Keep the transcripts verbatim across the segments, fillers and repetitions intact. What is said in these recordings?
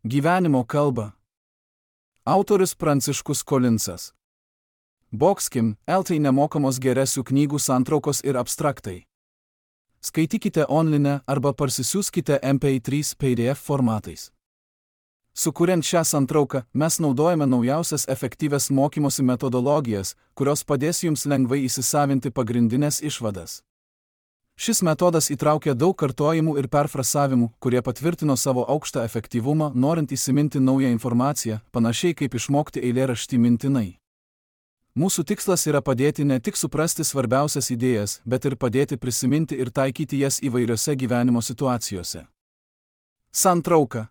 Gyvenimo kalba. Autorius Pranciškus Kolinsas. Boxkim, eltai nemokamos geresių knygų santraukos ir abstraktai. Skaitykite online arba parsisiųskite M P trys P D F formatais. Sukuriant šią santrauką, mes naudojame naujausias efektyvias mokymosi metodologijas, kurios padės jums lengvai įsisavinti pagrindinės išvadas. Šis metodas įtraukia daug kartojimų ir perfrasavimų, kurie patvirtino savo aukštą efektyvumą, norint įsiminti naują informaciją, panašiai kaip išmokti eilėraštį mintinai. Mūsų tikslas yra padėti ne tik suprasti svarbiausias idėjas, bet ir padėti prisiminti ir taikyti jas įvairiose gyvenimo situacijose. Santrauka.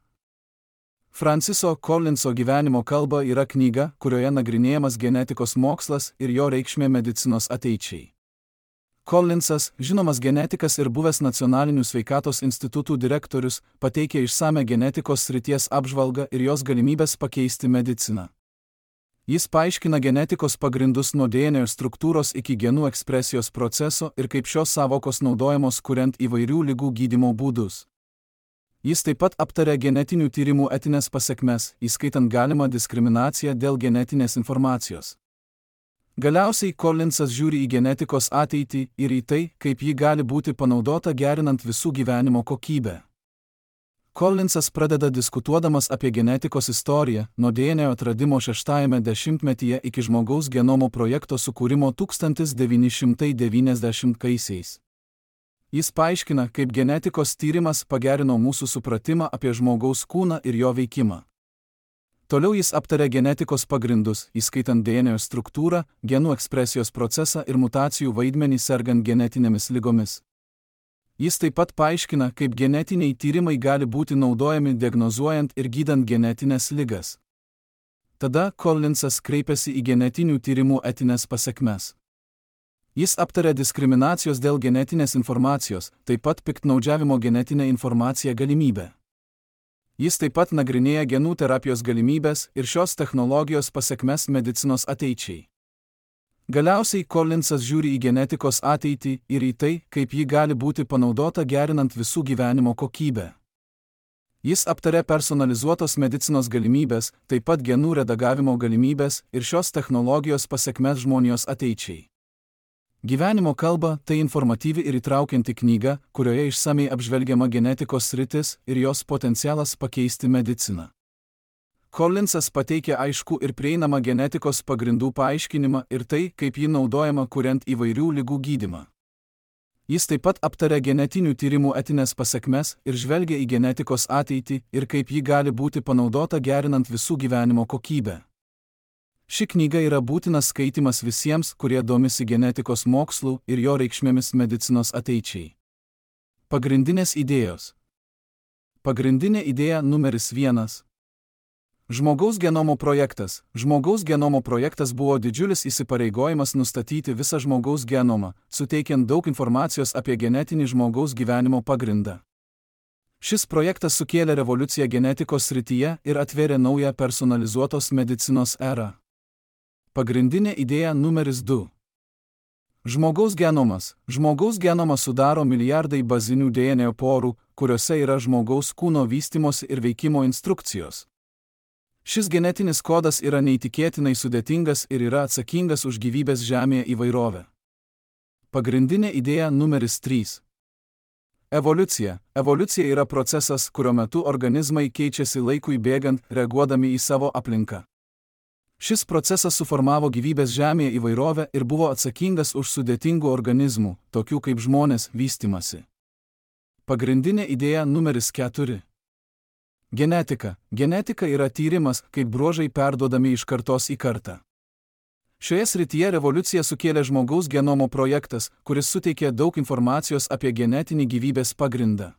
Franciso Kolinso Gyvenimo kalba yra knyga, kurioje nagrinėjamas genetikos mokslas ir jo reikšmė medicinos ateičiai. Kolinsas, žinomas genetikas ir buvęs nacionalinių sveikatos institutų direktorius, pateikia išsame genetikos srities apžvalgą ir jos galimybės pakeisti mediciną. Jis paaiškina genetikos pagrindus nuo D N A struktūros iki genų ekspresijos proceso ir kaip šios savokos naudojamos kuriant įvairių ligų gydymo būdus. Jis taip pat aptaria genetinių tyrimų etinės pasekmes, įskaitant galimą diskriminaciją dėl genetinės informacijos. Galiausiai Kolinsas žiūri į genetikos ateitį ir į tai, kaip ji gali būti panaudota gerinant visų gyvenimo kokybę. Kolinsas pradeda diskutuodamas apie genetikos istoriją, nuo D N A atradimo šeštajame dešimtmetyje iki žmogaus genomo projekto sukūrimo tūkstantis devyni šimtai devyniasdešimtaisiais. Jis paaiškina, kaip genetikos tyrimas pagerino mūsų supratimą apie žmogaus kūną ir jo veikimą. Toliau jis aptaria genetikos pagrindus, įskaitant D N A struktūrą, genų ekspresijos procesą ir mutacijų vaidmenį sergant genetinėmis ligomis. Jis taip pat paaiškina, kaip genetiniai tyrimai gali būti naudojami diagnozuojant ir gydant genetinės ligas. Tada Kolinsas kreipiasi į genetinių tyrimų etinės pasekmes. Jis aptaria diskriminacijos dėl genetinės informacijos, taip pat piktnaudžiavimo genetinę informaciją galimybę. Jis taip pat nagrinėja genų terapijos galimybės ir šios technologijos pasekmes medicinos ateičiai. Galiausiai Kolinsas žiūri į genetikos ateitį ir į tai, kaip ji gali būti panaudota gerinant visų gyvenimo kokybę. Jis aptaria personalizuotos medicinos galimybės, taip pat genų redagavimo galimybės ir šios technologijos pasekmes žmonijos ateičiai. Gyvenimo kalba tai informatyvi ir įtraukianti knyga, kurioje išsamiai apžvelgiama genetikos sritis ir jos potencialas pakeisti mediciną. Kolinsas pateikia aiškų ir prieinamą genetikos pagrindų paaiškinimą ir tai, kaip ji naudojama kuriant įvairių ligų gydymą. Jis taip pat aptaria genetinių tyrimų etinės pasekmes ir žvelgia į genetikos ateitį ir kaip ji gali būti panaudota gerinant visų gyvenimo kokybę. Ši knyga yra būtinas skaitimas visiems, kurie domisi genetikos mokslu ir jo reikšmėmis medicinos ateičiai. Pagrindinės idėjos. Pagrindinė idėja numeris vienas. Žmogaus genomo projektas. Žmogaus genomo projektas buvo didžiulis įsipareigojimas nustatyti visą žmogaus genomą, suteikiant daug informacijos apie genetinį žmogaus gyvenimo pagrindą. Šis projektas sukėlė revoliuciją genetikos srityje ir atvėrė naują personalizuotos medicinos erą. Pagrindinė idėja numeris du. Žmogaus genomas. Žmogaus genomą sudaro milijardai bazinių D N A porų, kuriuose yra žmogaus kūno vystimosi ir veikimo instrukcijos. Šis genetinis kodas yra neįtikėtinai sudėtingas ir yra atsakingas už gyvybės Žemėje įvairovę. Pagrindinė idėja numeris trys. Evoliucija. Evoliucija yra procesas, kurio metu organizmai keičiasi laikui bėgant, reaguodami į savo aplinką. Šis procesas suformavo gyvybės Žemėje įvairovę ir buvo atsakingas už sudėtingų organizmų, tokių kaip žmonės, vystymasi. Pagrindinė idėja numeris keturi. Genetika. Genetika yra tyrimas, kaip bruožai perduodami iš kartos į kartą. Šioje srityje revoliuciją sukėlė žmogaus genomo projektas, kuris suteikė daug informacijos apie genetinį gyvybės pagrindą.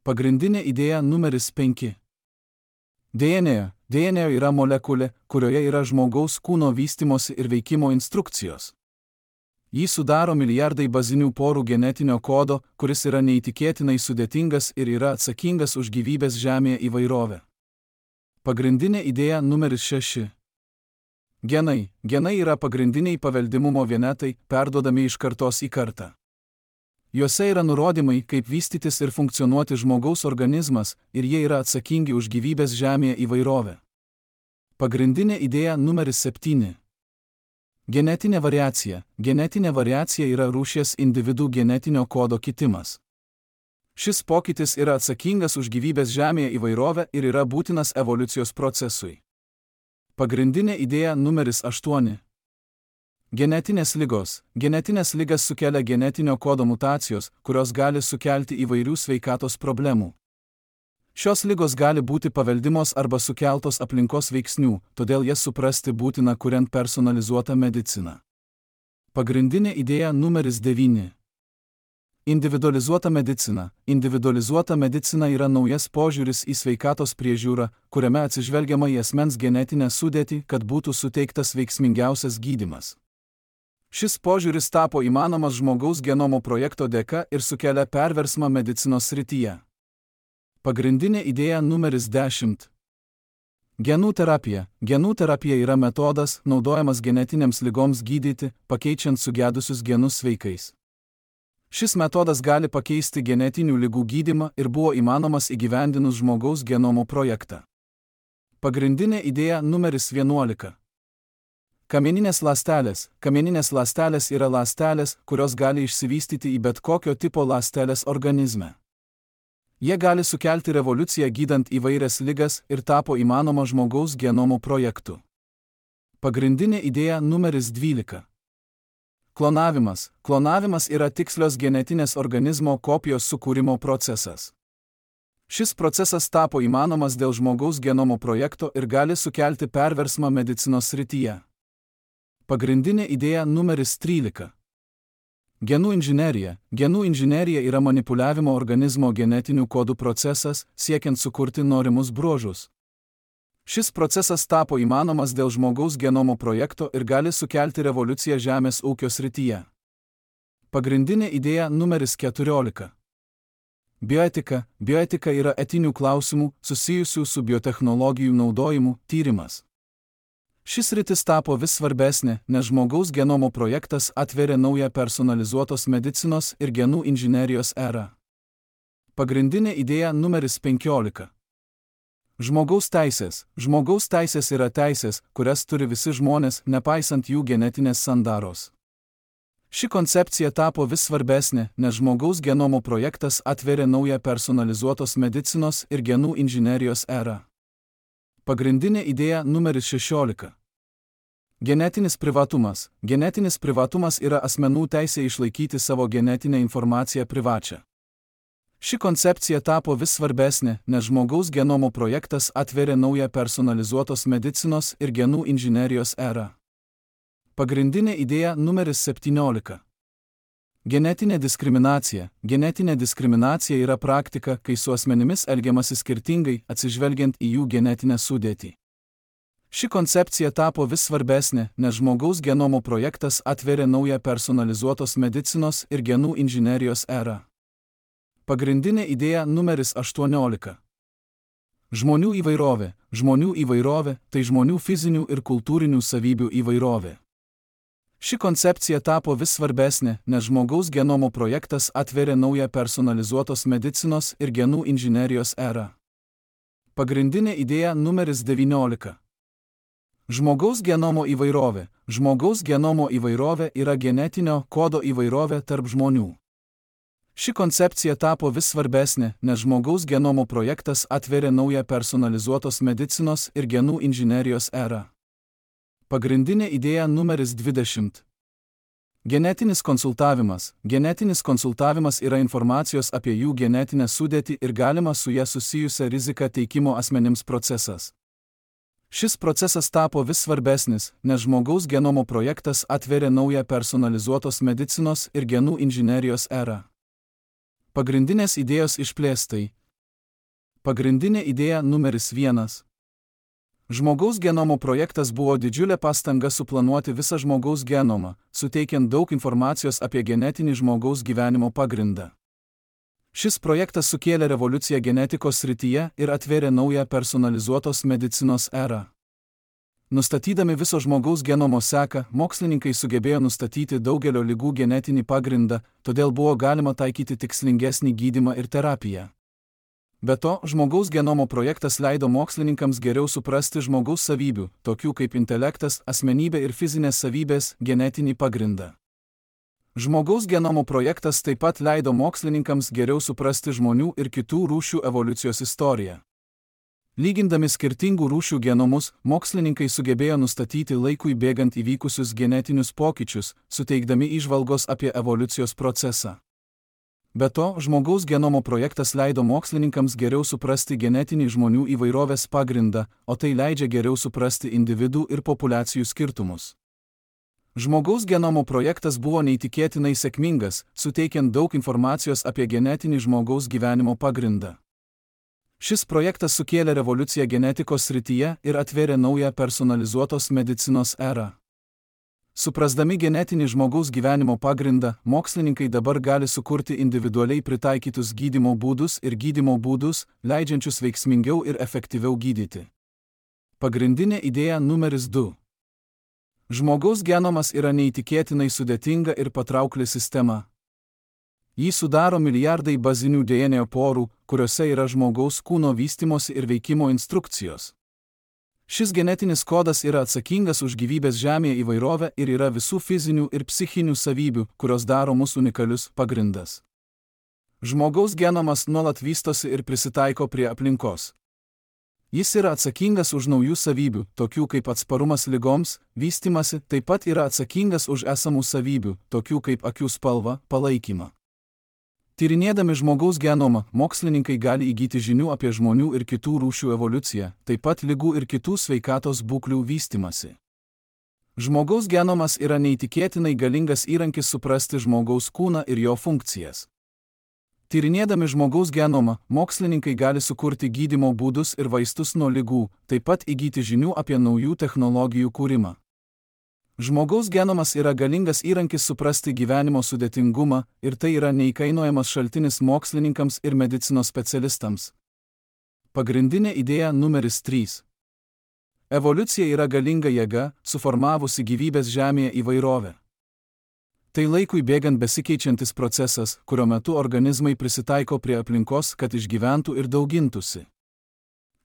Pagrindinė idėja numeris penki. D N A. D N A yra molekulė, kurioje yra žmogaus kūno vystimosi ir veikimo instrukcijos. Jį sudaro milijardai bazinių porų genetinio kodo, kuris yra neįtikėtinai sudėtingas ir yra atsakingas už gyvybės Žemėje įvairovę. Pagrindinė idėja numeris šeši. Genai. Genai yra pagrindiniai paveldimumo vienetai, perduodami iš kartos į kartą. Juose yra nurodymai, kaip vystytis ir funkcionuoti žmogaus organizmas, ir jie yra atsakingi už gyvybės žemėje įvairovę. Pagrindinė idėja numeris septyni. Genetinė variacija. Genetinė variacija yra rūšies individų genetinio kodo kitimas. Šis pokytis yra atsakingas už gyvybės žemėje įvairovę ir yra būtinas evoliucijos procesui. Pagrindinė idėja numeris aštuoni. Genetinės ligos. Genetinės ligas sukelia genetinio kodo mutacijos, kurios gali sukelti įvairių sveikatos problemų. Šios ligos gali būti paveldimos arba sukeltos aplinkos veiksnių, todėl jas suprasti būtina kuriant personalizuotą mediciną. Pagrindinė idėja numeris devyni. Individualizuota medicina. Individualizuota medicina yra naujas požiūris į sveikatos priežiūrą, kuriame atsižvelgiama į asmens genetinę sudėtį, kad būtų suteiktas veiksmingiausias gydymas. Šis požiūris tapo įmanomas žmogaus genomo projekto dėka ir sukelia perversmą medicinos srityje. Pagrindinė idėja numeris dešimt. Genų terapija. Genų terapija yra metodas, naudojamas genetinėms ligoms gydyti, pakeičiant sugedusius genus sveikais. Šis metodas gali pakeisti genetinių ligų gydymą ir buvo įmanomas įgyvendinus žmogaus genomo projektą. Pagrindinė idėja numeris vienuolika. Kamieninės ląstelės. Kamieninės ląstelės yra ląstelės, kurios gali išsivystyti į bet kokio tipo ląstelės organizme. Jie gali sukelti revoliuciją gydant įvairias ligas ir tapo įmanoma žmogaus genomo projektu. Pagrindinė idėja numeris dvylika. Klonavimas. Klonavimas yra tikslios genetinės organizmo kopijos sukūrimo procesas. Šis procesas tapo įmanomas dėl žmogaus genomo projekto ir gali sukelti perversmą medicinos srityje. Pagrindinė idėja numeris trylika. Genų inžinerija. Genų inžinerija yra manipuliavimo organizmo genetinių kodų procesas, siekiant sukurti norimus bruožus. Šis procesas tapo įmanomas dėl žmogaus genomo projekto ir gali sukelti revoliuciją žemės ūkio srityje. Pagrindinė idėja numeris keturiolika. Bioetika. Bioetika yra etinių klausimų, susijusių su biotechnologijų naudojimu, tyrimas. Šis sritis tapo vis svarbesnė, nes žmogaus genomo projektas atveria naują personalizuotos medicinos ir genų inžinerijos erą. Pagrindinė idėja numeris penkiolika. Žmogaus teisės. Žmogaus teisės yra teisės, kurias turi visi žmonės, nepaisant jų genetinės sandaros. Ši koncepcija tapo vis svarbesnė, nes žmogaus genomo projektas atveria naują personalizuotos medicinos ir genų inžinerijos erą. Pagrindinė idėja numeris šešiolika. Genetinis privatumas. Genetinis privatumas yra asmenų teisė išlaikyti savo genetinę informaciją privačią. Ši koncepcija tapo vis svarbesnė, nes žmogaus genomo projektas atveria naują personalizuotos medicinos ir genų inžinerijos erą. Pagrindinė idėja numeris septyniolika. Genetinė diskriminacija. Genetinė diskriminacija yra praktika, kai su asmenimis elgiamasi skirtingai, atsižvelgiant į jų genetinę sudėtį. Ši koncepcija tapo vis svarbesnė, nes žmogaus genomo projektas atveria naują personalizuotos medicinos ir genų inžinerijos erą. Pagrindinė idėja numeris aštuoniolika. Žmonių įvairovė. Žmonių įvairovė – tai žmonių fizinių ir kultūrinių savybių įvairovė. Ši koncepcija tapo vis svarbesnė, nes žmogaus genomo projektas atveria naują personalizuotos medicinos ir genų inžinerijos erą. Pagrindinė idėja numeris devyniolika. Žmogaus genomo įvairovė. Žmogaus genomo įvairovė yra genetinio kodo įvairovė tarp žmonių. Ši koncepcija tapo vis svarbesnė, nes žmogaus genomo projektas atveria naują personalizuotos medicinos ir genų inžinerijos erą. Pagrindinė idėja numeris dvidešimt. Genetinis konsultavimas. Genetinis konsultavimas yra informacijos apie jų genetinę sudėtį ir galima su ją susijusią riziką teikimo asmenims procesas. Šis procesas tapo vis svarbesnis, nes žmogaus genomo projektas atveria naują personalizuotos medicinos ir genų inžinerijos erą. Pagrindinės idėjos išplėstai. Pagrindinė idėja numeris vienas. Žmogaus genomo projektas buvo didžiulė pastanga suplanuoti visą žmogaus genomą, suteikiant daug informacijos apie genetinį žmogaus gyvenimo pagrindą. Šis projektas sukėlė revoliuciją genetikos srityje ir atvėrė naują personalizuotos medicinos erą. Nustatydami viso žmogaus genomo seką, mokslininkai sugebėjo nustatyti daugelio ligų genetinį pagrindą, todėl buvo galima taikyti tikslingesnį gydymą ir terapiją. Be to, žmogaus genomo projektas leido mokslininkams geriau suprasti žmogaus savybių, tokių kaip intelektas, asmenybė ir fizinės savybės, genetinį pagrindą. Žmogaus genomo projektas taip pat leido mokslininkams geriau suprasti žmonių ir kitų rūšių evoliucijos istoriją. Lygindami skirtingų rūšių genomus, mokslininkai sugebėjo nustatyti laikui bėgant įvykusius genetinius pokyčius, suteikdami įžvalgos apie evoliucijos procesą. Be to, žmogaus genomo projektas leido mokslininkams geriau suprasti genetinį žmonių įvairovės pagrindą, o tai leidžia geriau suprasti individų ir populiacijų skirtumus. Žmogaus genomo projektas buvo neįtikėtinai sėkmingas, suteikiant daug informacijos apie genetinį žmogaus gyvenimo pagrindą. Šis projektas sukėlė revoliuciją genetikos srityje ir atvėrė naują personalizuotos medicinos erą. Suprasdami genetinį žmogaus gyvenimo pagrindą, mokslininkai dabar gali sukurti individualiai pritaikytus gydymo būdus ir gydymo būdus, leidžiančius veiksmingiau ir efektyviau gydyti. Pagrindinė idėja numeris du. Žmogaus genomas yra neįtikėtinai sudėtinga ir patraukli sistema. Jį sudaro milijardai bazinių D N A porų, kuriuose yra žmogaus kūno vystymosi ir veikimo instrukcijos. Šis genetinis kodas yra atsakingas už gyvybės Žemėje įvairovę ir yra visų fizinių ir psichinių savybių, kurios daro mus unikalius, pagrindas. Žmogaus genomas nuolat vystosi ir prisitaiko prie aplinkos. Jis yra atsakingas už naujų savybių, tokių kaip atsparumas ligoms, vystymasi, taip pat yra atsakingas už esamų savybių, tokių kaip akių spalva, palaikymą. Tyrinėdami žmogaus genomą, mokslininkai gali įgyti žinių apie žmonių ir kitų rūšių evoliuciją, taip pat ligų ir kitų sveikatos būklių vystymasi. Žmogaus genomas yra neįtikėtinai galingas įrankis suprasti žmogaus kūną ir jo funkcijas. Tyrinėdami žmogaus genomą, mokslininkai gali sukurti gydymo būdus ir vaistus nuo ligų, taip pat įgyti žinių apie naujų technologijų kūrimą. Žmogaus genomas yra galingas įrankis suprasti gyvenimo sudėtingumą ir tai yra neįkainojamas šaltinis mokslininkams ir medicinos specialistams. Pagrindinė idėja numeris trys. Evoliucija yra galinga jėga, suformavusi gyvybės Žemėje įvairovę. Tai laikui bėgant besikeičiantis procesas, kurio metu organizmai prisitaiko prie aplinkos, kad išgyventų ir daugintųsi.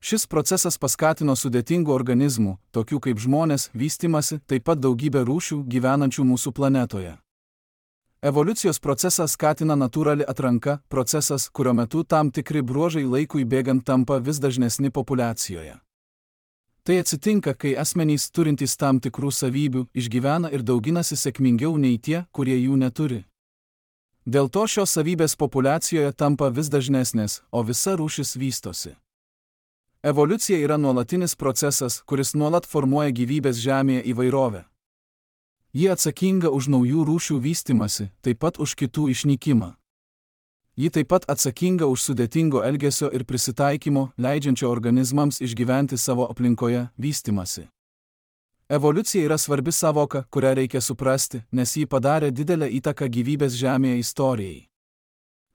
Šis procesas paskatino sudėtingų organizmų, tokių kaip žmonės, vystymasi, taip pat daugybę rūšių gyvenančių mūsų planetoje. Evoliucijos procesą skatina natūrali atranka, procesas, kurio metu tam tikri bruožai laikui bėgant tampa vis dažnesni populiacijoje. Tai atsitinka, kai asmenys turintys tam tikrų savybių išgyvena ir dauginasi sėkmingiau nei tie, kurie jų neturi. Dėl to šios savybės populiacijoje tampa vis dažnesnės, o visa rūšis vystosi. Evoliucija yra nuolatinis procesas, kuris nuolat formuoja gyvybės Žemėje įvairovę. Ji atsakinga už naujų rūšių vystymasi, taip pat už kitų išnykimą. Ji taip pat atsakinga už sudėtingo elgesio ir prisitaikymo, leidžiančio organizmams išgyventi savo aplinkoje, vystymasi. Evoliucija yra svarbi sąvoka, kurią reikia suprasti, nes ji padarė didelę įtaką gyvybės Žemėje istorijai.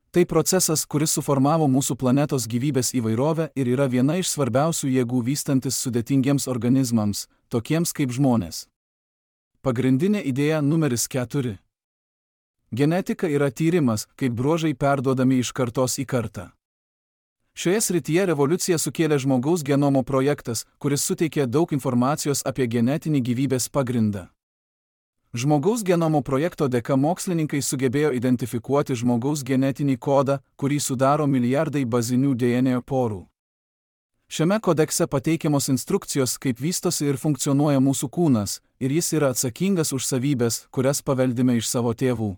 Tai procesas, kuris suformavo mūsų planetos gyvybės įvairovę ir yra viena iš svarbiausių jėgų vystantis sudėtingiems organizmams, tokiems kaip žmonės. Pagrindinė idėja numeris keturi. Genetika yra tyrimas, kaip bruožai perduodami iš kartos į kartą. Šioje srityje revoliuciją sukėlė žmogaus genomo projektas, kuris suteikė daug informacijos apie genetinį gyvybės pagrindą. Žmogaus genomo projekto dėka mokslininkai sugebėjo identifikuoti žmogaus genetinį kodą, kurį sudaro milijardai bazinių D N A porų. Šiame kodekse pateikiamos instrukcijos, kaip vystosi ir funkcionuoja mūsų kūnas, ir jis yra atsakingas už savybės, kurias paveldime iš savo tėvų.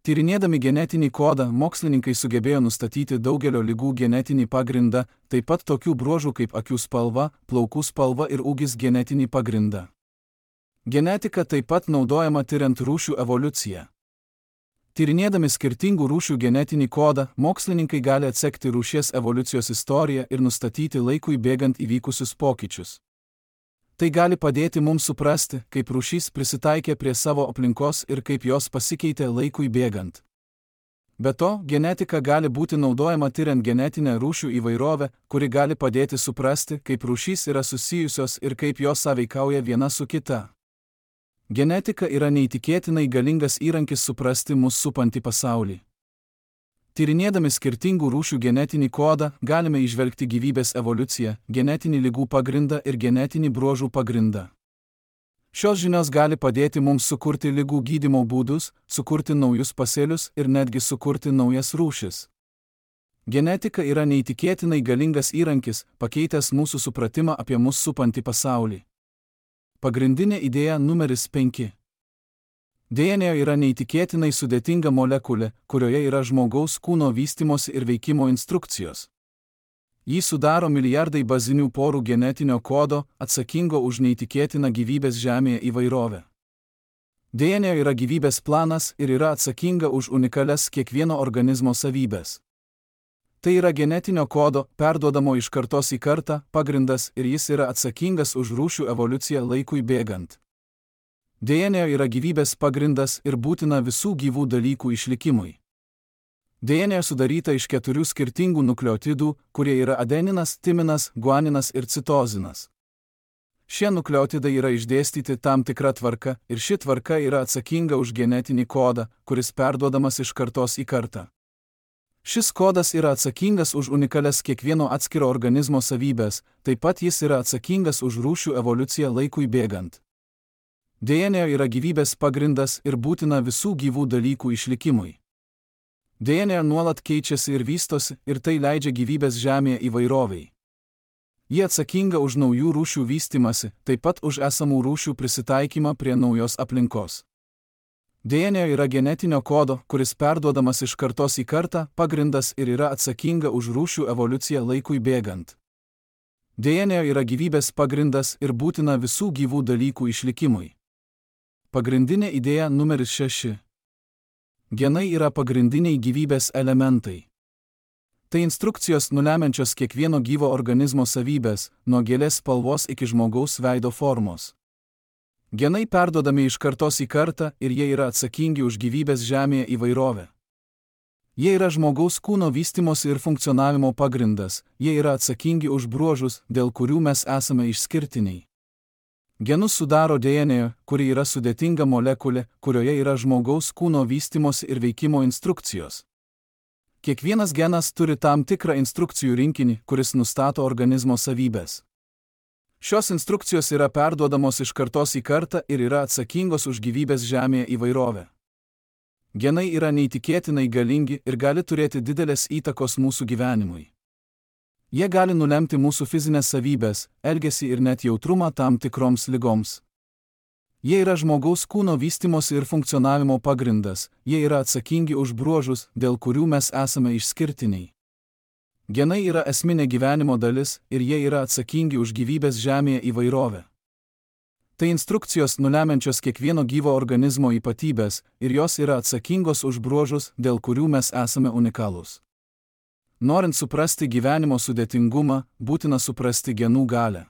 Tyrinėdami genetinį kodą, mokslininkai sugebėjo nustatyti daugelio ligų genetinį pagrindą, taip pat tokių bruožų kaip akių spalva, plaukų spalva ir ūgis genetinį pagrindą. Genetika taip pat naudojama tyriant rūšių evoliuciją. Tyrinėdami skirtingų rūšių genetinį kodą, mokslininkai gali atsekti rūšies evoliucijos istoriją ir nustatyti laikui bėgant įvykusius pokyčius. Tai gali padėti mums suprasti, kaip rūšys prisitaikė prie savo aplinkos ir kaip jos pasikeitė laikui bėgant. Be to, genetika gali būti naudojama tyriant genetinę rūšių įvairovę, kuri gali padėti suprasti, kaip rūšys yra susijusios ir kaip jos sąveikauja viena su kita. Genetika yra neįtikėtinai galingas įrankis suprasti mus supantį pasaulį. Tyrinėdami skirtingų rūšių genetinį kodą, galime įžvelgti gyvybės evoliuciją, genetinį ligų pagrindą ir genetinį bruožų pagrindą. Šios žinios gali padėti mums sukurti ligų gydymo būdus, sukurti naujus pasėlius ir netgi sukurti naujas rūšis. Genetika yra neįtikėtinai galingas įrankis, pakeitęs mūsų supratimą apie mus supantį pasaulį. Pagrindinė idėja numeris penki. D N A yra neįtikėtinai sudėtinga molekulė, kurioje yra žmogaus kūno vystymosi ir veikimo instrukcijos. Jį sudaro milijardai bazinių porų genetinio kodo, atsakingo už neįtikėtiną gyvybės Žemėje įvairovę. D N A yra gyvybės planas ir yra atsakinga už unikalias kiekvieno organizmo savybės. Tai yra genetinio kodo, perduodamo iš kartos į kartą, pagrindas ir jis yra atsakingas už rūšių evoliuciją laikui bėgant. D N A yra gyvybės pagrindas ir būtina visų gyvų dalykų išlikimui. D N A sudaryta iš keturių skirtingų nukleotidų, kurie yra adeninas, timinas, guaninas ir citozinas. Šie nukleotidai yra išdėstyti tam tikra tvarka ir ši tvarka yra atsakinga už genetinį kodą, kuris perduodamas iš kartos į kartą. Šis kodas yra atsakingas už unikalias kiekvieno atskiro organizmo savybės, taip pat jis yra atsakingas už rūšių evoliuciją laikui bėgant. D N A yra gyvybės pagrindas ir būtina visų gyvų dalykų išlikimui. D N A nuolat keičiasi ir vystosi, ir tai leidžia gyvybės Žemėje įvairoviai. Ji atsakinga už naujų rūšių vystymasi, taip pat už esamų rūšių prisitaikymą prie naujos aplinkos. D N A yra genetinio kodo, kuris perduodamas iš kartos į kartą, pagrindas ir yra atsakinga už rūšių evoliuciją laikui bėgant. D N A yra gyvybės pagrindas ir būtina visų gyvų dalykų išlikimui. Pagrindinė idėja numeris šeši. Genai yra pagrindiniai gyvybės elementai. Tai instrukcijos nulemiančios kiekvieno gyvo organizmo savybės, nuo gėlės spalvos iki žmogaus veido formos. Genai perduodami iš kartos į kartą ir jie yra atsakingi už gyvybės Žemėje įvairovę. Jie yra žmogaus kūno vystymosi ir funkcionavimo pagrindas, jie yra atsakingi už bruožus, dėl kurių mes esame išskirtiniai. Genus sudaro D N A, kuri yra sudėtinga molekulė, kurioje yra žmogaus kūno vystymosi ir veikimo instrukcijos. Kiekvienas genas turi tam tikrą instrukcijų rinkinį, kuris nustato organizmo savybės. Šios instrukcijos yra perduodamos iš kartos į kartą ir yra atsakingos už gyvybės Žemėje įvairovę. Genai yra neįtikėtinai galingi ir gali turėti didelės įtakos mūsų gyvenimui. Jie gali nulemti mūsų fizinės savybės, elgesį ir net jautrumą tam tikroms ligoms. Jie yra žmogaus kūno vystymosi ir funkcionavimo pagrindas, jie yra atsakingi už bruožus, dėl kurių mes esame išskirtiniai. Genai yra esminė gyvenimo dalis ir jie yra atsakingi už gyvybės Žemėje įvairovę. Tai instrukcijos nulemiančios kiekvieno gyvo organizmo ypatybės ir jos yra atsakingos už bruožus, dėl kurių mes esame unikalūs. Norint suprasti gyvenimo sudėtingumą, būtina suprasti genų galią.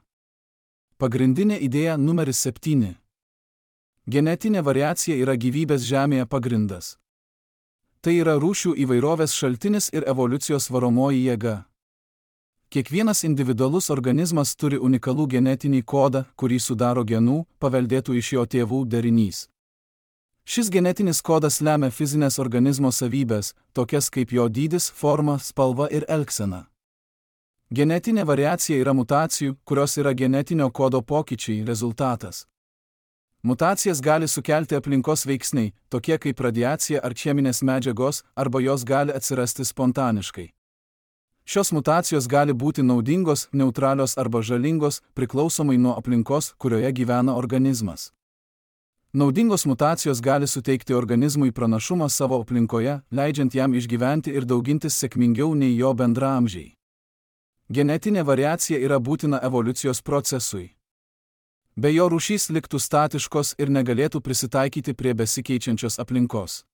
Pagrindinė idėja numeris septyni. Genetinė variacija yra gyvybės Žemėje pagrindas. Tai yra rūšių įvairovės šaltinis ir evoliucijos varomoji jėga. Kiekvienas individualus organizmas turi unikalų genetinį kodą, kurį sudaro genų, paveldėtų iš jo tėvų derinys. Šis genetinis kodas lemia fizinės organizmo savybės, tokias kaip jo dydis, forma, spalva ir elgsena. Genetinė variacija yra mutacijų, kurios yra genetinio kodo pokyčiai, rezultatas. Mutacijas gali sukelti aplinkos veiksniai, tokie kaip radiacija ar cheminės medžiagos, arba jos gali atsirasti spontaniškai. Šios mutacijos gali būti naudingos, neutralios arba žalingos, priklausomai nuo aplinkos, kurioje gyvena organizmas. Naudingos mutacijos gali suteikti organizmui pranašumą savo aplinkoje, leidžiant jam išgyventi ir daugintis sėkmingiau nei jo bendraamžiai. Genetinė variacija yra būtina evoliucijos procesui. Be jo rūšys liktų statiškos ir negalėtų prisitaikyti prie besikeičiančios aplinkos.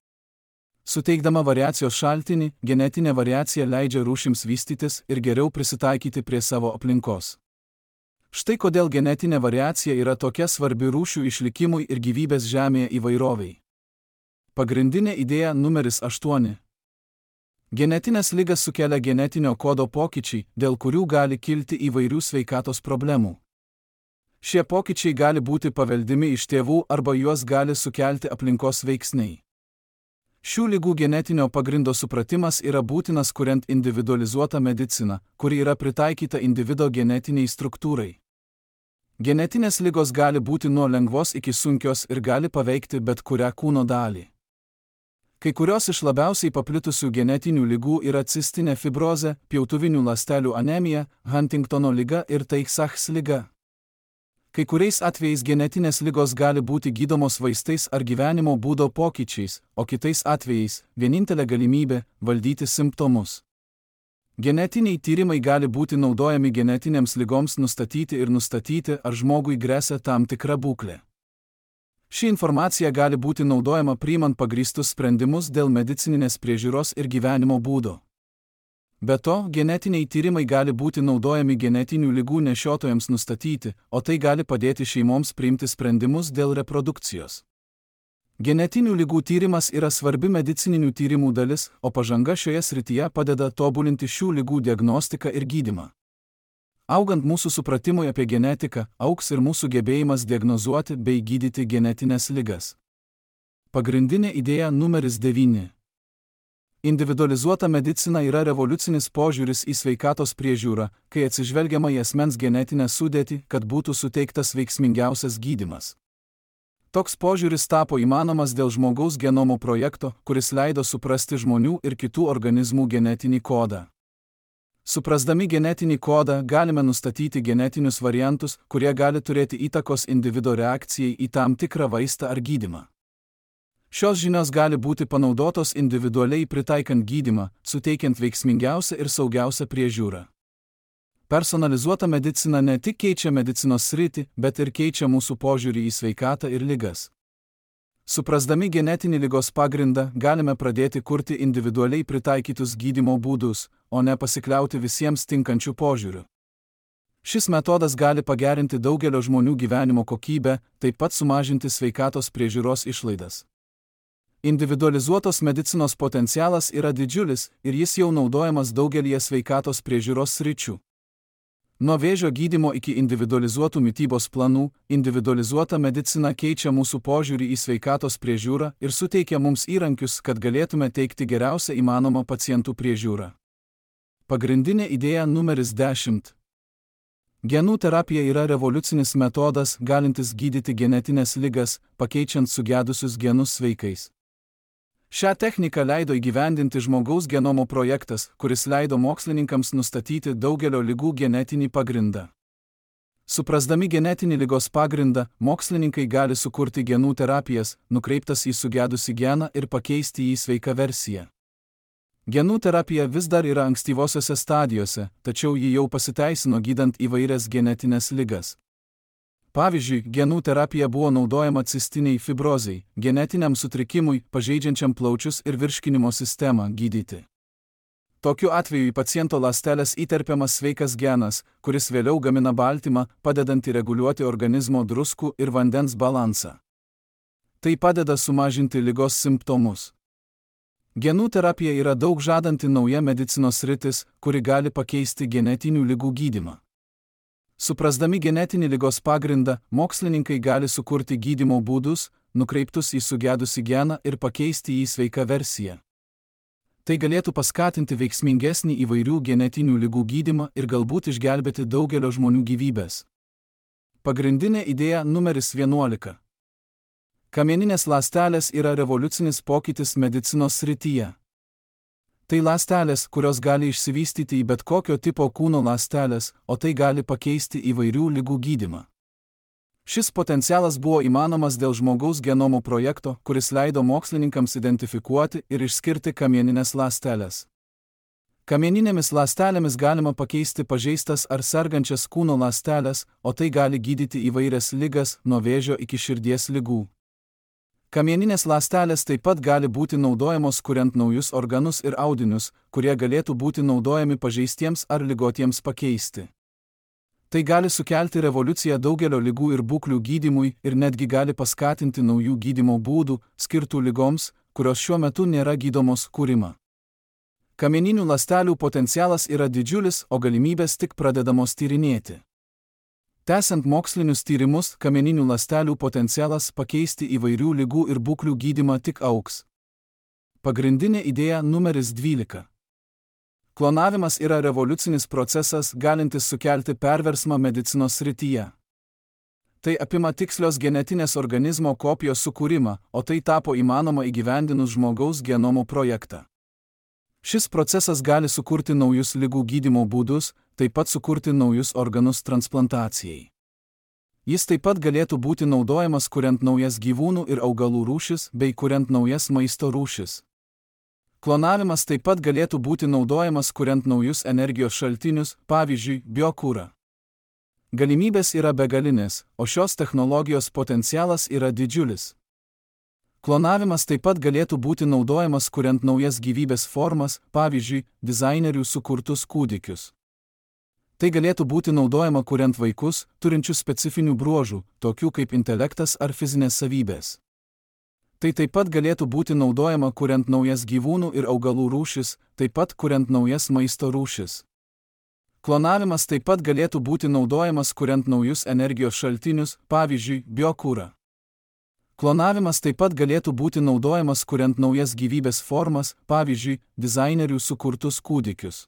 Suteikdama variacijos šaltinį, genetinė variacija leidžia rūšims vystytis ir geriau prisitaikyti prie savo aplinkos. Štai kodėl genetinė variacija yra tokia svarbi rūšių išlikimui ir gyvybės Žemėje įvairoviai. Pagrindinė idėja numeris aštuoni. Genetinės ligas sukelia genetinio kodo pokyčiai, dėl kurių gali kilti įvairių sveikatos problemų. Šie pokyčiai gali būti paveldimi iš tėvų arba juos gali sukelti aplinkos veiksniai. Šių ligų genetinio pagrindo supratimas yra būtinas kuriant individualizuotą mediciną, kuri yra pritaikyta individo genetiniai struktūrai. Genetinės ligos gali būti nuo lengvos iki sunkios ir gali paveikti bet kurią kūno dalį. Kai kurios iš labiausiai paplitusių genetinių ligų yra cistinė fibrozė, pjautuvinių ląstelių anemija, Huntingtono liga ir Tay-Sachs liga. Kai kuriais atvejais genetinės ligos gali būti gydomos vaistais ar gyvenimo būdo pokyčiais, o kitais atvejais vienintelė galimybė – valdyti simptomus. Genetiniai tyrimai gali būti naudojami genetinėms ligoms nustatyti ir nustatyti, ar žmogui gresia tam tikra būklė. Ši informacija gali būti naudojama priimant pagrįstus sprendimus dėl medicininės priežiūros ir gyvenimo būdo. Be to, genetiniai tyrimai gali būti naudojami genetinių ligų nešiotojams nustatyti, o tai gali padėti šeimoms priimti sprendimus dėl reprodukcijos. Genetinių ligų tyrimas yra svarbi medicininių tyrimų dalis, o pažanga šioje srityje padeda tobulinti šių ligų diagnostiką ir gydymą. Augant mūsų supratimui apie genetiką, augs ir mūsų gebėjimas diagnozuoti bei gydyti genetinės ligas. Pagrindinė idėja numeris devyni. Individualizuota medicina yra revoliucinis požiūris į sveikatos priežiūrą, kai atsižvelgiama į asmens genetinę sudėtį, kad būtų suteiktas veiksmingiausias gydymas. Toks požiūris tapo įmanomas dėl žmogaus genomo projekto, kuris leido suprasti žmonių ir kitų organizmų genetinį kodą. Suprasdami genetinį kodą galime nustatyti genetinius variantus, kurie gali turėti įtakos individo reakcijai į tam tikrą vaistą ar gydymą. Šios žinios gali būti panaudotos individualiai pritaikant gydymą, suteikiant veiksmingiausią ir saugiausią priežiūrą. Personalizuota medicina ne tik keičia medicinos sritį, bet ir keičia mūsų požiūrį į sveikatą ir ligas. Suprasdami genetinį ligos pagrindą, galime pradėti kurti individualiai pritaikytus gydymo būdus, o ne pasikliauti visiems tinkančių požiūrių. Šis metodas gali pagerinti daugelio žmonių gyvenimo kokybę, taip pat sumažinti sveikatos priežiūros išlaidas. Individualizuotos medicinos potencialas yra didžiulis ir jis jau naudojamas daugelyje sveikatos priežiūros sričių. Nuo vėžio gydymo iki individualizuotų mitybos planų, individualizuota medicina keičia mūsų požiūrį į sveikatos priežiūrą ir suteikia mums įrankius, kad galėtume teikti geriausią įmanomą pacientų priežiūrą. Pagrindinė idėja numeris dešimt. Genų terapija yra revoliucinis metodas, galintis gydyti genetinės ligas, pakeičiant sugedusius genus sveikais. Šią techniką leido įgyvendinti žmogaus genomo projektas, kuris leido mokslininkams nustatyti daugelio ligų genetinį pagrindą. Suprasdami genetinį ligos pagrindą, mokslininkai gali sukurti genų terapijas, nukreiptas į sugedusį geną ir pakeisti jį sveiką versiją. Genų terapija vis dar yra ankstyvosiose stadijose, tačiau ji jau pasiteisino gydant įvairias genetinės ligas. Pavyzdžiui, genų terapija buvo naudojama cistiniai fibrozei, genetiniam sutrikimui, pažeidžiančiam plaučius ir virškinimo sistemą gydyti. Tokiu atveju į paciento ląsteles įterpiamas sveikas genas, kuris vėliau gamina baltymą, padedantį reguliuoti organizmo druskų ir vandens balansą. Tai padeda sumažinti ligos simptomus. Genų terapija yra daug žadanti nauja medicinos sritis, kuri gali pakeisti genetinių ligų gydymą. Suprasdami genetinį ligos pagrindą, mokslininkai gali sukurti gydymo būdus, nukreiptus į sugedusį geną ir pakeisti jį sveiką versiją. Tai galėtų paskatinti veiksmingesnį įvairių genetinių ligų gydymą ir galbūt išgelbėti daugelio žmonių gyvybes. Pagrindinė idėja numeris vienuolika. Kamieninės ląstelės yra revoliucinis pokytis medicinos srityje. Tai ląstelės, kurios gali išsivystyti į bet kokio tipo kūno ląstelės, o tai gali pakeisti įvairių ligų gydymą. Šis potencialas buvo įmanomas dėl žmogaus genomo projekto, kuris leido mokslininkams identifikuoti ir išskirti kamieninės ląsteles. Kamieninėmis ląstelėmis galima pakeisti pažeistas ar sergančias kūno ląsteles, o tai gali gydyti įvairias ligas, nuo vėžio iki širdies ligų. Kamieninės ląstelės taip pat gali būti naudojamos kuriant naujus organus ir audinius, kurie galėtų būti naudojami pažeistiems ar ligotiems pakeisti. Tai gali sukelti revoliuciją daugelio ligų ir būklių gydymui ir netgi gali paskatinti naujų gydymo būdų, skirtų ligoms, kurios šiuo metu nėra gydomos, kūrimą. Kamieninių ląstelių potencialas yra didžiulis, o galimybės tik pradedamos tyrinėti. Tęsiant mokslinius tyrimus, kamieninių ląstelių potencialas pakeisti įvairių ligų ir būklių gydymą tik augs. Pagrindinė idėja numeris dvylika. Klonavimas yra revoliucinis procesas, galintis sukelti perversmą medicinos srityje. Tai apima tikslios genetinės organizmo kopijos sukūrimą, o tai tapo įmanoma įgyvendinus žmogaus genomo projektą. Šis procesas gali sukurti naujus ligų gydymo būdus, taip pat sukurti naujus organus transplantacijai. Jis taip pat galėtų būti naudojamas kuriant naujas gyvūnų ir augalų rūšis bei kuriant naujas maisto rūšis. Klonavimas taip pat galėtų būti naudojamas kuriant naujus energijos šaltinius, pavyzdžiui, biokurą. Galimybės yra begalinės, o šios technologijos potencialas yra didžiulis. Klonavimas taip pat galėtų būti naudojamas kuriant naujas gyvybės formas, pavyzdžiui, dizainerių sukurtus kūdikius. Tai galėtų būti naudojama kuriant vaikus, turinčius specifinių bruožų, tokių kaip intelektas ar fizinės savybės. Tai taip pat galėtų būti naudojama kuriant naujas gyvūnų ir augalų rūšis, taip pat kuriant naujas maisto rūšis. Klonavimas taip pat galėtų būti naudojamas kuriant naujus energijos šaltinius, pavyzdžiui, biokurą. Klonavimas taip pat galėtų būti naudojamas kuriant naujas gyvybės formas, pavyzdžiui, dizainerių sukurtus kūdikius.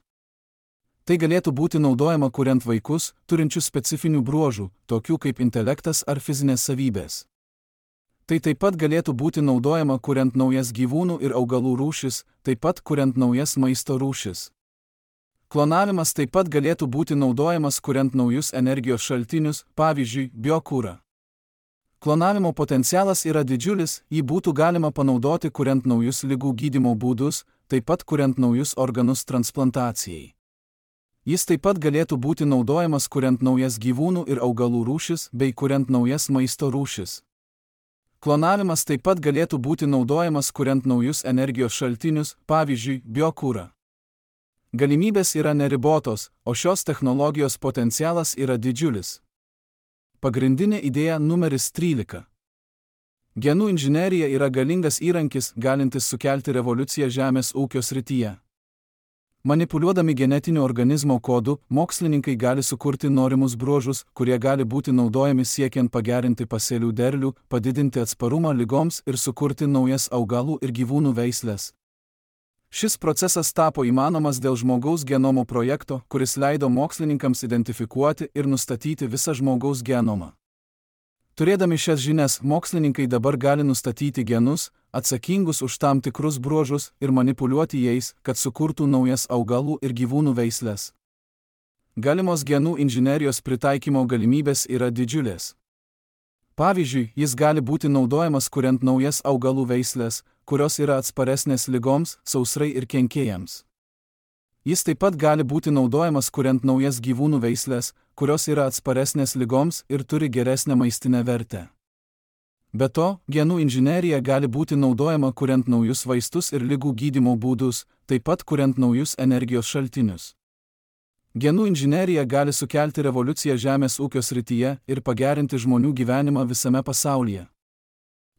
Tai galėtų būti naudojama kuriant vaikus, turinčius specifinių bruožų, tokių kaip intelektas ar fizinės savybės. Tai taip pat galėtų būti naudojama kuriant naujas gyvūnų ir augalų rūšis, taip pat kuriant naujas maisto rūšis. Klonavimas taip pat galėtų būti naudojamas kuriant naujus energijos šaltinius, pavyzdžiui, biokurą. Klonavimo potencialas yra didžiulis, jį būtų galima panaudoti kuriant naujus ligų gydymo būdus, taip pat kuriant naujus organus transplantacijai. Jis taip pat galėtų būti naudojamas kuriant naujas gyvūnų ir augalų rūšis bei kuriant naujas maisto rūšis. Klonavimas taip pat galėtų būti naudojamas kuriant naujus energijos šaltinius, pavyzdžiui, biokurą. Galimybės yra neribotos, o šios technologijos potencialas yra didžiulis. Pagrindinė idėja numeris trylika. Genų inžinerija yra galingas įrankis, galintis sukelti revoliuciją žemės ūkio srityje. Manipuliuodami genetiniu organizmo kodu, mokslininkai gali sukurti norimus bruožus, kurie gali būti naudojami siekiant pagerinti pasėlių derlių, padidinti atsparumą ligoms ir sukurti naujas augalų ir gyvūnų veislės. Šis procesas tapo įmanomas dėl žmogaus genomo projekto, kuris leido mokslininkams identifikuoti ir nustatyti visą žmogaus genomą. Turėdami šias žinias, mokslininkai dabar gali nustatyti genus, atsakingus už tam tikrus bruožus ir manipuliuoti jais, kad sukurtų naujas augalų ir gyvūnų veislės. Galimos genų inžinerijos pritaikymo galimybės yra didžiulės. Pavyzdžiui, jis gali būti naudojamas kuriant naujas augalų veislės, kurios yra atsparesnės ligoms, sausrai ir kenkėjams. Jis taip pat gali būti naudojamas kuriant naujas gyvūnų veislės, kurios yra atsparesnės ligoms ir turi geresnę maistinę vertę. Be to, genų inžinerija gali būti naudojama kuriant naujus vaistus ir ligų gydymo būdus, taip pat kuriant naujus energijos šaltinius. Genų inžinerija gali sukelti revoliuciją žemės ūkio srityje ir pagerinti žmonių gyvenimą visame pasaulyje.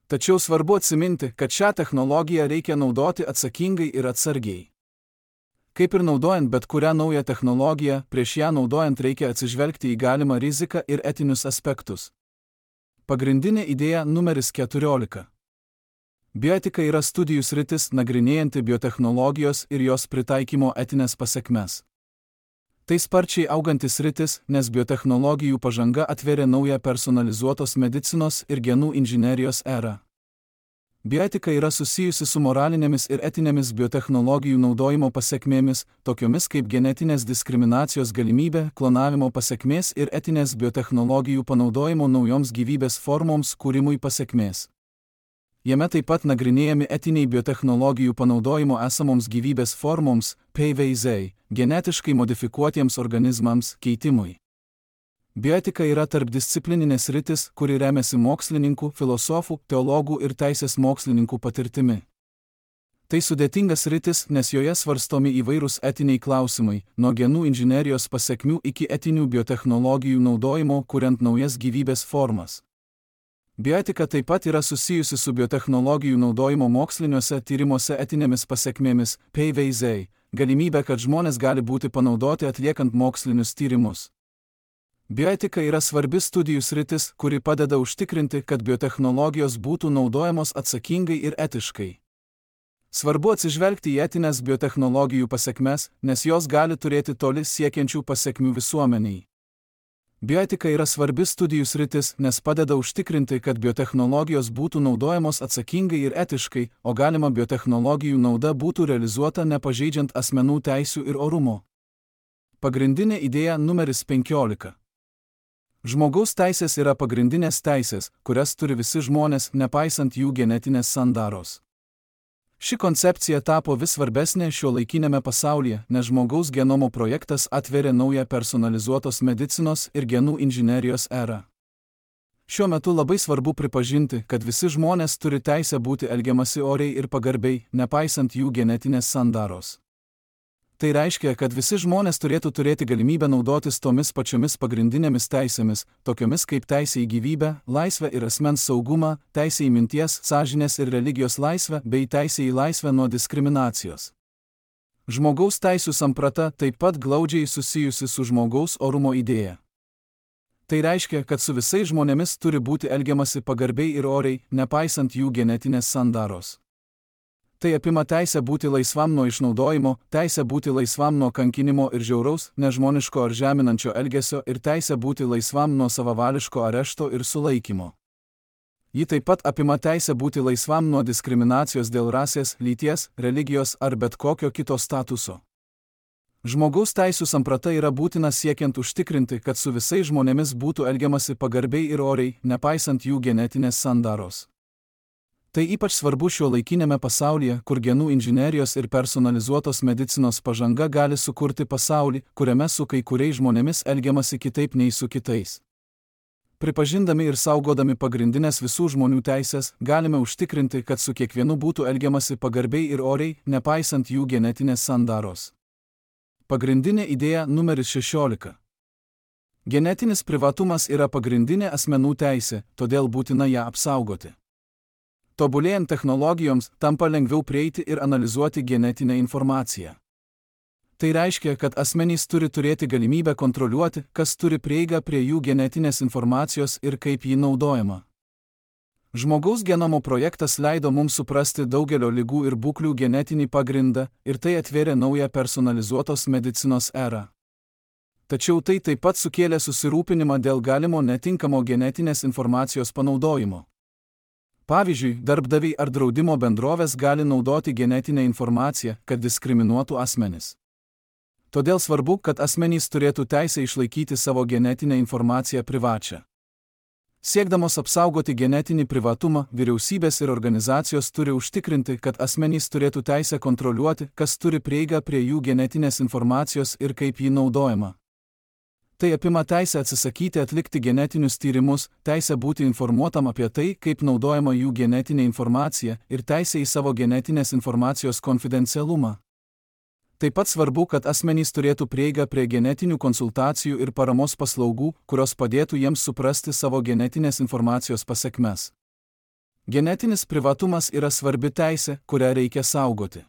Tačiau svarbu atsiminti, kad šią technologiją reikia naudoti atsakingai ir atsargiai. Kaip ir naudojant bet kurią naują technologiją, prieš ją naudojant reikia atsižvelgti į galimą riziką ir etinius aspektus. Pagrindinė idėja numeris keturiolika. Bioetika yra studijų sritis nagrinėjanti biotechnologijos ir jos pritaikymo etinės pasekmes. Tai sparčiai augantis sritis, nes biotechnologijų pažanga atvėrė naują personalizuotos medicinos ir genų inžinerijos erą. Bioetika yra susijusi su moralinėmis ir etinėmis biotechnologijų naudojimo pasekmėmis, tokiomis kaip genetinės diskriminacijos galimybė, klonavimo pasekmės ir etinės biotechnologijų panaudojimo naujoms gyvybės formoms kūrimui pasekmės. Jame taip pat nagrinėjami etiniai biotechnologijų panaudojimo esamoms gyvybės formoms, P V Z, genetiškai modifikuotiems organizmams, keitimui. Bioetika yra tarpdisciplininė sritis, kuri remiasi mokslininkų, filosofų, teologų ir teisės mokslininkų patirtimi. Tai sudėtingas sritis, nes joje svarstomi įvairūs etiniai klausimai, nuo genų inžinerijos pasekmių iki etinių biotechnologijų naudojimo, kuriant naujas gyvybės formas. Bioetika taip pat yra susijusi su biotechnologijų naudojimo moksliniuose tyrimuose etinėmis pasekmėmis, P V Z, galimybė, kad žmonės gali būti panaudoti atliekant mokslinius tyrimus. Bioetika yra svarbi studijų sritis, kuri padeda užtikrinti, kad biotechnologijos būtų naudojamos atsakingai ir etiškai. Svarbu atsižvelgti į etinės biotechnologijų pasekmes, nes jos gali turėti toli siekiančių pasekmių visuomeniai. Bioetika yra svarbi studijų sritis, nes padeda užtikrinti, kad biotechnologijos būtų naudojamos atsakingai ir etiškai, o galima biotechnologijų nauda būtų realizuota nepažeidžiant asmenų teisių ir orumo. Pagrindinė idėja numeris penkiolika. Žmogaus teisės yra pagrindinės teisės, kurias turi visi žmonės, nepaisant jų genetinės sandaros. Ši koncepcija tapo vis svarbesnė šiuolaikinėme pasaulyje, nes žmogaus genomo projektas atveria naują personalizuotos medicinos ir genų inžinerijos erą. Šiuo metu labai svarbu pripažinti, kad visi žmonės turi teisę būti elgiamasi oriai ir pagarbiai, nepaisant jų genetinės sandaros. Tai reiškia, kad visi žmonės turėtų turėti galimybę naudotis tomis pačiomis pagrindinėmis teisėmis, tokiomis kaip teisė į gyvybę, laisvę ir asmens saugumą, teisė į minties, sąžinės ir religijos laisvę bei teisė į laisvę nuo diskriminacijos. Žmogaus teisių samprata taip pat glaudžiai susijusi su žmogaus orumo idėja. Tai reiškia, kad su visais žmonėmis turi būti elgiamasi pagarbiai ir oriai, nepaisant jų genetinės sandaros. Tai apima teisę būti laisvam nuo išnaudojimo, teisę būti laisvam nuo kankinimo ir žiauraus, nežmoniško ar žeminančio elgesio ir teisę būti laisvam nuo savavališko arešto ir sulaikymo. Ji taip pat apima teisę būti laisvam nuo diskriminacijos dėl rasės, lyties, religijos ar bet kokio kito statuso. Žmogaus teisių samprata yra būtina siekiant užtikrinti, kad su visais žmonėmis būtų elgiamasi pagarbiai ir oriai, nepaisant jų genetinės sandaros. Tai ypač svarbu šiuolaikinėme pasaulyje, kur genų inžinerijos ir personalizuotos medicinos pažanga gali sukurti pasaulį, kuriame su kai kuriais žmonėmis elgiamasi kitaip nei su kitais. Pripažindami ir saugodami pagrindinės visų žmonių teisės, galime užtikrinti, kad su kiekvienu būtų elgiamasi pagarbiai ir oriai, nepaisant jų genetinės sandaros. Pagrindinė idėja numeris šešiolika. Genetinis privatumas yra pagrindinė asmenų teisė, todėl būtina ją apsaugoti. Tobulėjant technologijoms, tampa lengviau prieiti ir analizuoti genetinę informaciją. Tai reiškia, kad asmenys turi turėti galimybę kontroliuoti, kas turi prieigą prie jų genetinės informacijos ir kaip ji naudojama. Žmogaus genomo projektas leido mums suprasti daugelio ligų ir būklių genetinį pagrindą ir tai atvėrė naują personalizuotos medicinos erą. Tačiau tai taip pat sukėlė susirūpinimą dėl galimo netinkamo genetinės informacijos panaudojimo. Pavyzdžiui, darbdaviai ar draudimo bendrovės gali naudoti genetinę informaciją, kad diskriminuotų asmenis. Todėl svarbu, kad asmenys turėtų teisę išlaikyti savo genetinę informaciją privačią. Siekdamos apsaugoti genetinį privatumą, vyriausybės ir organizacijos turi užtikrinti, kad asmenys turėtų teisę kontroliuoti, kas turi prieigą prie jų genetinės informacijos ir kaip ji naudojama. Tai apima teisę atsisakyti atlikti genetinius tyrimus, teisę būti informuotam apie tai, kaip naudojama jų genetinė informacija ir teisę į savo genetinės informacijos konfidencialumą. Taip pat svarbu, kad asmenys turėtų prieigą prie genetinių konsultacijų ir paramos paslaugų, kurios padėtų jiems suprasti savo genetinės informacijos pasekmes. Genetinis privatumas yra svarbi teisė, kurią reikia saugoti.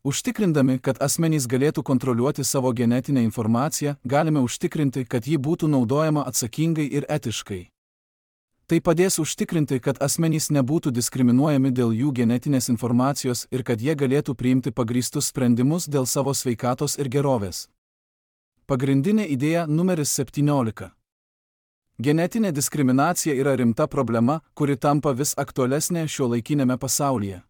Užtikrindami, kad asmenys galėtų kontroliuoti savo genetinę informaciją, galime užtikrinti, kad ji būtų naudojama atsakingai ir etiškai. Tai padės užtikrinti, kad asmenys nebūtų diskriminuojami dėl jų genetinės informacijos ir kad jie galėtų priimti pagrįstus sprendimus dėl savo sveikatos ir gerovės. Pagrindinė idėja numeris septyniolika. Genetinė diskriminacija yra rimta problema, kuri tampa vis aktualesnė šiuolaikinėme pasaulyje.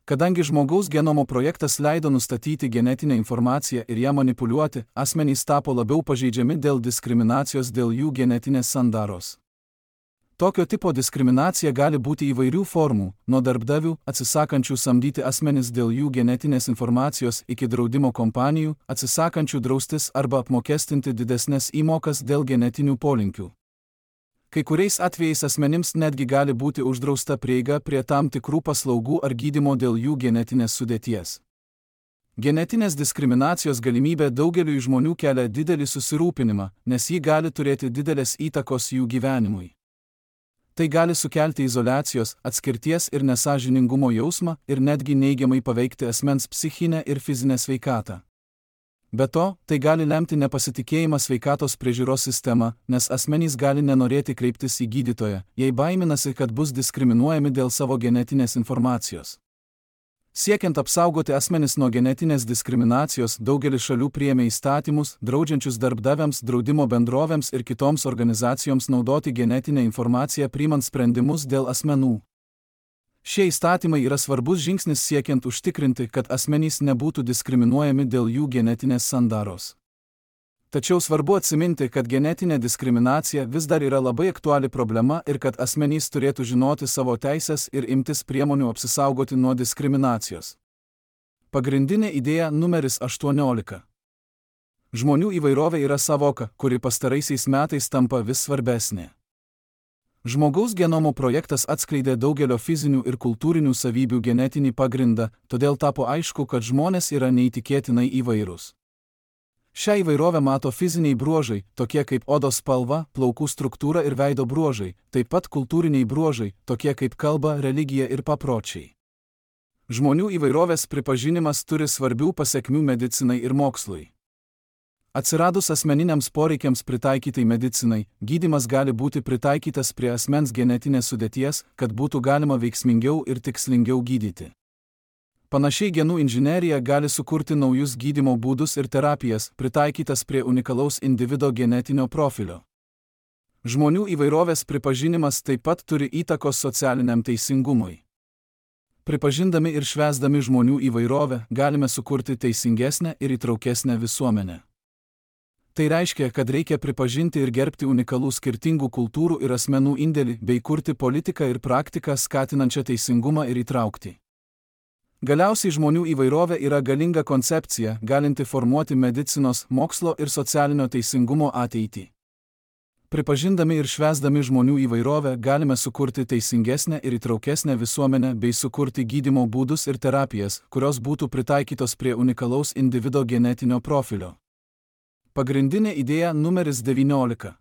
Kadangi žmogaus genomo projektas leido nustatyti genetinę informaciją ir ją manipuliuoti, asmenys tapo labiau pažeidžiami dėl diskriminacijos dėl jų genetinės sandaros. Tokio tipo diskriminacija gali būti įvairių formų, nuo darbdavių, atsisakančių samdyti asmenis dėl jų genetinės informacijos, iki draudimo kompanijų, atsisakančių draustis arba apmokestinti didesnes įmokas dėl genetinių polinkių. Kai kuriais atvejais asmenims netgi gali būti uždrausta prieiga prie tam tikrų paslaugų ar gydymo dėl jų genetinės sudėties. Genetinės diskriminacijos galimybė daugeliui žmonių kelia didelį susirūpinimą, nes ji gali turėti didelės įtakos jų gyvenimui. Tai gali sukelti izoliacijos, atskirties ir nesąžiningumo jausmą ir netgi neigiamai paveikti asmens psichinę ir fizinę sveikatą. Be to, tai gali lemti nepasitikėjimą sveikatos priežiūros sistema, nes asmenys gali nenorėti kreiptis į gydytoją, jei baiminasi, kad bus diskriminuojami dėl savo genetinės informacijos. Siekiant apsaugoti asmenis nuo genetinės diskriminacijos, daugelis šalių priėmė įstatymus, draudžiančius darbdaviams, draudimo bendrovėms ir kitoms organizacijoms naudoti genetinę informaciją priimant sprendimus dėl asmenų. Šie įstatymai yra svarbus žingsnis siekiant užtikrinti, kad asmenys nebūtų diskriminuojami dėl jų genetinės sandaros. Tačiau svarbu atsiminti, kad genetinė diskriminacija vis dar yra labai aktuali problema ir kad asmenys turėtų žinoti savo teisės ir imtis priemonių apsisaugoti nuo diskriminacijos. Pagrindinė idėja numeris aštuoniolika. Žmonių įvairovė yra savoka, kuri pastaraisiais metais tampa vis svarbesnė. Žmogaus genomo projektas atskleidė daugelio fizinių ir kultūrinių savybių genetinį pagrindą, todėl tapo aišku, kad žmonės yra neįtikėtinai įvairūs. Šią įvairovę mato fiziniai bruožai, tokie kaip odos spalva, plaukų struktūra ir veido bruožai, taip pat kultūriniai bruožai, tokie kaip kalba, religija ir papročiai. Žmonių įvairovės pripažinimas turi svarbių pasekmių medicinai ir mokslui. Atsiradus asmeniniams poreikiams pritaikytai medicinai, gydymas gali būti pritaikytas prie asmens genetinės sudėties, kad būtų galima veiksmingiau ir tikslingiau gydyti. Panašiai genų inžinerija gali sukurti naujus gydymo būdus ir terapijas, pritaikytas prie unikalaus individo genetinio profilio. Žmonių įvairovės pripažinimas taip pat turi įtakos socialiniam teisingumui. Pripažindami ir švęsdami žmonių įvairovę, galime sukurti teisingesnę ir įtraukesnę visuomenę. Tai reiškia, kad reikia pripažinti ir gerbti unikalų skirtingų kultūrų ir asmenų indėlį, bei kurti politiką ir praktiką skatinančią teisingumą ir įtraukti. Galiausiai žmonių įvairovė yra galinga koncepcija, galinti formuoti medicinos, mokslo ir socialinio teisingumo ateitį. Pripažindami ir švęsdami žmonių įvairovę, galime sukurti teisingesnę ir įtraukesnę visuomenę bei sukurti gydymo būdus ir terapijas, kurios būtų pritaikytos prie unikalaus individo genetinio profilio. Pagrindinė idėja numeris devyniolika.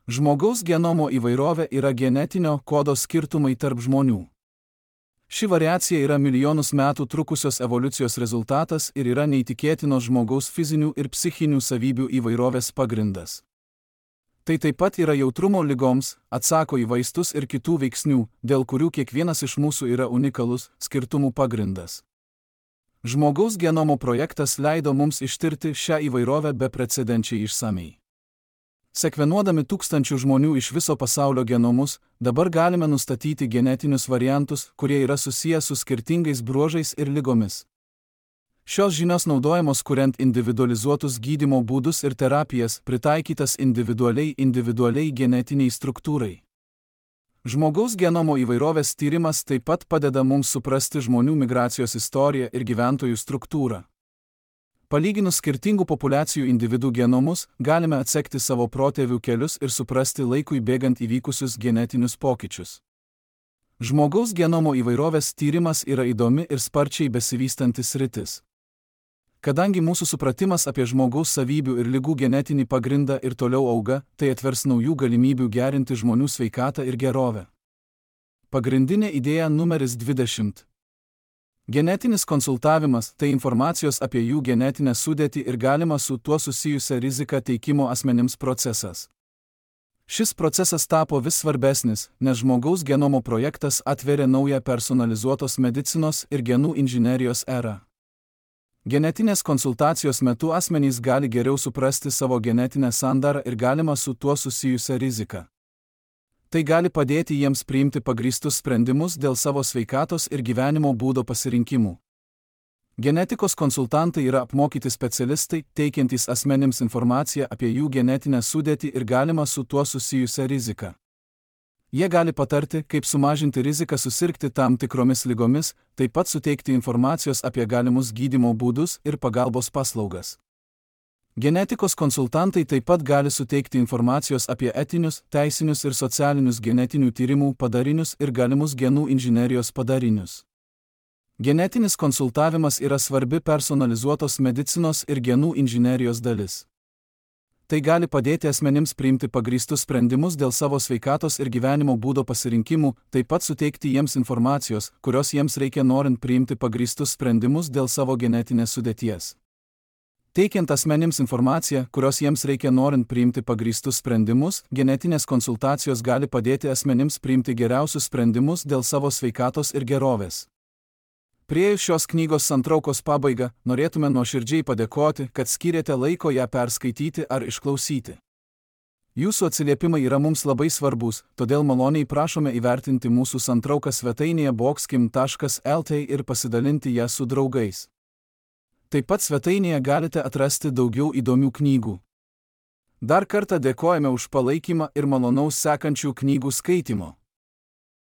Žmogaus genomo įvairovė yra genetinio kodo skirtumai tarp žmonių. Ši variacija yra milijonus metų trukusios evoliucijos rezultatas ir yra neįtikėtinos žmogaus fizinių ir psichinių savybių įvairovės pagrindas. Tai taip pat yra jautrumo ligoms, atsako į vaistus ir kitų veiksnių, dėl kurių kiekvienas iš mūsų yra unikalus, skirtumų pagrindas. Žmogaus genomo projektas leido mums ištirti šią įvairovę beprecedenčiai išsamiai. Sekvenuodami tūkstančių žmonių iš viso pasaulio genomus, dabar galime nustatyti genetinius variantus, kurie yra susiję su skirtingais bruožais ir ligomis. Šios žinios naudojamos kuriant individualizuotus gydymo būdus ir terapijas, pritaikytas individualiai individualiai genetiniai struktūrai. Žmogaus genomo įvairovės tyrimas taip pat padeda mums suprasti žmonių migracijos istoriją ir gyventojų struktūrą. Palyginus skirtingų populiacijų individų genomus, galime atsekti savo protėvių kelius ir suprasti laikui bėgant įvykusius genetinius pokyčius. Žmogaus genomo įvairovės tyrimas yra įdomi ir sparčiai besivystantis sritis. Kadangi mūsų supratimas apie žmogaus savybių ir ligų genetinį pagrindą ir toliau auga, tai atvers naujų galimybių gerinti žmonių sveikatą ir gerovę. Pagrindinė idėja numeris dvidešimt. Genetinis konsultavimas – tai informacijos apie jų genetinę sudėtį ir galima su tuo susijusią riziką teikimo asmenims procesas. Šis procesas tapo vis svarbesnis, nes žmogaus genomo projektas atveria naują personalizuotos medicinos ir genų inžinerijos erą. Genetinės konsultacijos metu asmenys gali geriau suprasti savo genetinę sandarą ir galima su tuo susijusią riziką. Tai gali padėti jiems priimti pagrįstus sprendimus dėl savo sveikatos ir gyvenimo būdo pasirinkimų. Genetikos konsultantai yra apmokyti specialistai, teikiantys asmenims informaciją apie jų genetinę sudėtį ir galima su tuo susijusią riziką. Jie gali patarti, kaip sumažinti riziką susirgti tam tikromis ligomis, taip pat suteikti informacijos apie galimus gydymo būdus ir pagalbos paslaugas. Genetikos konsultantai taip pat gali suteikti informacijos apie etinius, teisinius ir socialinius genetinių tyrimų padarinius ir galimus genų inžinerijos padarinius. Genetinis konsultavimas yra svarbi personalizuotos medicinos ir genų inžinerijos dalis. Tai gali padėti asmenims priimti pagrįstus sprendimus dėl savo sveikatos ir gyvenimo būdo pasirinkimų, taip pat suteikti jiems informacijos, kurios jiems reikia norint priimti pagrįstus sprendimus dėl savo genetinės sudėties. Teikiant asmenims informaciją, kurios jiems reikia norint priimti pagrįstus sprendimus, genetinės konsultacijos gali padėti asmenims priimti geriausius sprendimus dėl savo sveikatos ir gerovės. Priėjus šios knygos santraukos pabaigą, norėtume nuoširdžiai padėkoti, kad skyrėte laiko ją perskaityti ar išklausyti. Jūsų atsiliepimai yra mums labai svarbus, todėl maloniai prašome įvertinti mūsų santrauką svetainėje boxkim taškas el t ir pasidalinti ją su draugais. Taip pat svetainėje galite atrasti daugiau įdomių knygų. Dar kartą dėkojame už palaikymą ir malonaus sekančių knygų skaitymo.